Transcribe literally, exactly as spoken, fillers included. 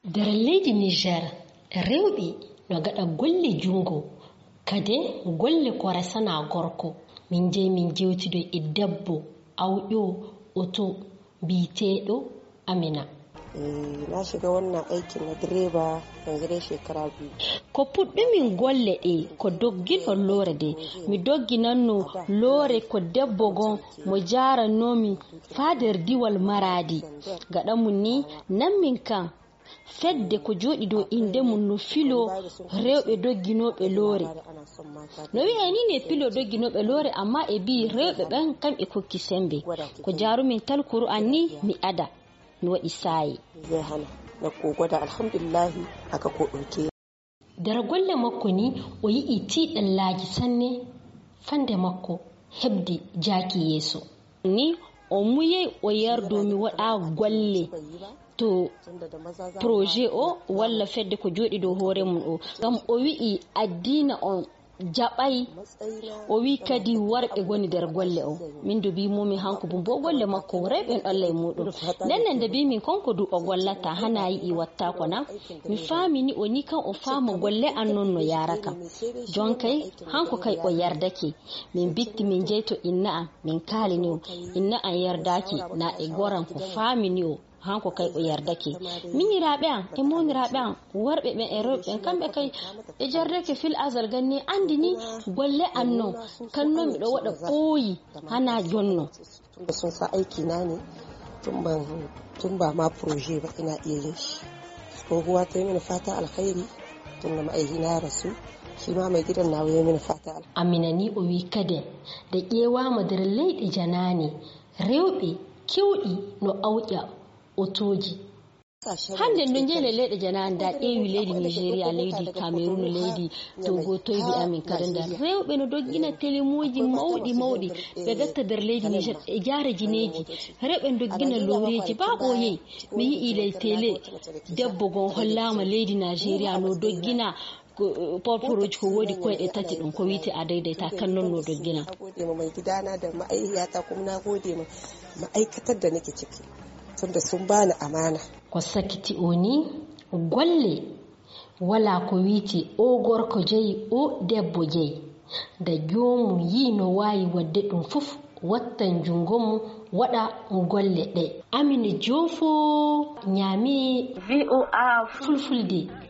Nder leydi Niger, rewɓe no gaɗa golle junngo, kadi golle ko resana gorko. Min jeyi min jewtidoy e debbo awƴo oto biyeteeɗo Amina. Eh, na shiga wannan aikin na direba yanzu dai shekara biyu. Ko puɗɗumin golle ɗe ko dogginol loore de. Mi dogginanno loore ko debbo gon mo jaarannoomi faa nder diiwal Maraadi. Gaɗa mum ni, nan min kan fedde ko jooɗi dow innde mum no filoo rewɓe dogginooɓe loore. No wi'ee ni ne filoo dogginooɓe loore, amma e bii rewɓe ɓen kamɓe kokki semmbe. Ko jaarumin tal Kur'an ni mi ada, mi waɗi saayi. Zai hana na kogo da alhamdulillahi aka ko ɗauke. Nder golle makko ni, o yi'i tiiɗallaaji sanne fande makko heɓde jaaki yeeso. Ni o muyey o yardoo mi waɗa golle to projet o walla fedde ko jooɗi dow hoore mum o. Ngam o wi'i addiina on jaɓay. O wi'i kadi worɓe ngoni nder golle o. Min do mbii mumi hanko bumbo golle makko o rewɓe en ɗolla e muɗum. Nden nden nde mbii min konko du o gollata hana yi'i wattaako na. Mi faami ni o ni kan o faama golle an non no yaara kam. Jonkay hanko kay o yardake. Min bitti min jeyto inna an, min kaalini o. Inna an yardaaki na e goran ko faamini o. Hanko kay o yardake. Miñiraaɓe an e mooniraaɓe an, worɓe ɓen e rewɓe ɓen, kamɓe kay ɓe jardake fil azal ganni anndi ni golle an non. Kan non miɗo waɗa ɓooyi hana jonno. Tunda sun sa aiki na ne, tun ban, tun ba ma proje ba ina iya yin shi. Tsohuwa ta yi mini fata alkhairi, tun da ma'aihina ya rasu, shi ma mai gidan nawa ya yi mini fata alkhairi. Amina ni o wi kaden, nde ƴeewaama nder leyɗe janaane, rewɓe keewɗi no awƴa otooji. Hannde no njeyɗen leyɗe janaane, nda ƴeewi leydi Nigeria, leydi Cameroun, leydi Togo, toybi amin kadi nda rewɓe no doggina telemuuji mawɗi mawɗi, ɓe gatta nder leydi Niger e jaara jineeji. Rewɓe no doggina looreeji, ba ɓooyey mi yi'i ley tele debbo gon hollaama leydi Nigeria no doggina ko, porporooji ko woodi koyɗe tati ɗum ko wiyte a daidaita kan non no doggina. Na gode ma mai gidana da ma'aikata kuma na gode ma ma'aikatar da nake ciki tunda sun bani amana. Ko sakiti o ni golle wala ko wiyte o gorko jeyi o debbo jeyi. Da joomum yi'i no waawi waɗde ɗum fof wattan junngo mum waɗa golle ɗe. Amina Joofo ñaami V O A Fulfulde.